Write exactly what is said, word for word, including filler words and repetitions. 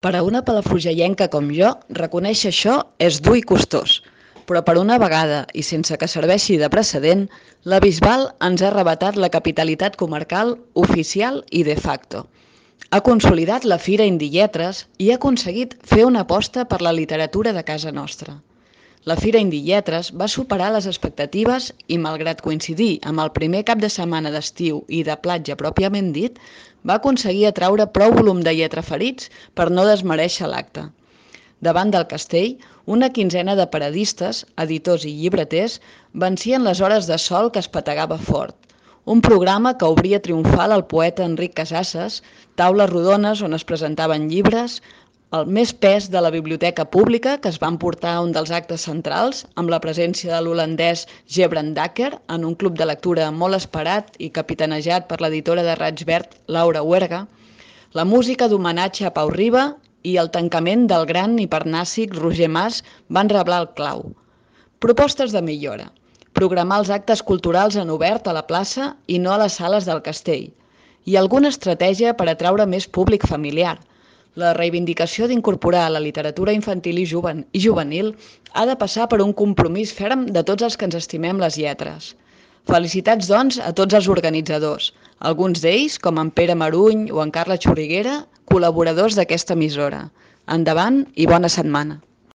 Per a una palafrugellenca com jo, reconèixer això és dur i costós, però per una vegada, i sense que serveixi de precedent, la Bisbal ens ha arrebatat la capitalitat comarcal oficial i de facto. Ha consolidat la Fira Indilletres i ha aconseguit fer una aposta per la literatura de casa nostra. La Fira Indilletres va superar les expectatives i, malgrat coincidir amb el primer cap de setmana d'estiu i de platja pròpiament dit, va aconseguir atraure prou volum de lletraferits per no desmerèixer l'acte. Davant del castell, una quinzena de paradistes, editors i llibreters vencien les hores de sol que es petegava fort. Un programa que obria triomfal el poeta Enric Casasses, taules rodones on es presentaven llibres, el més pes de la biblioteca pública, que es va emportar un dels actes centrals, amb la presència de l'holandès Gebrand Dacker, en un club de lectura molt esperat i capitanejat per l'editora de Raig Verd, Laura Huerga, la música d'homenatge a Pau Riba i el tancament del gran hipernàssic Roger Mas van reblar el clau. Propostes de millora. Programar els actes culturals en obert a la plaça i no a les sales del castell. I alguna estratègia per atraure més públic familiar. La reivindicació d'incorporar la literatura infantil i juvenil ha de passar per un compromís ferm de tots els que ens estimem les lletres. Felicitats, doncs, a tots els organitzadors, alguns d'ells, com en Pere Maruny o en Carla Xurriguera, col·laboradors d'aquesta emissora. Endavant i bona setmana.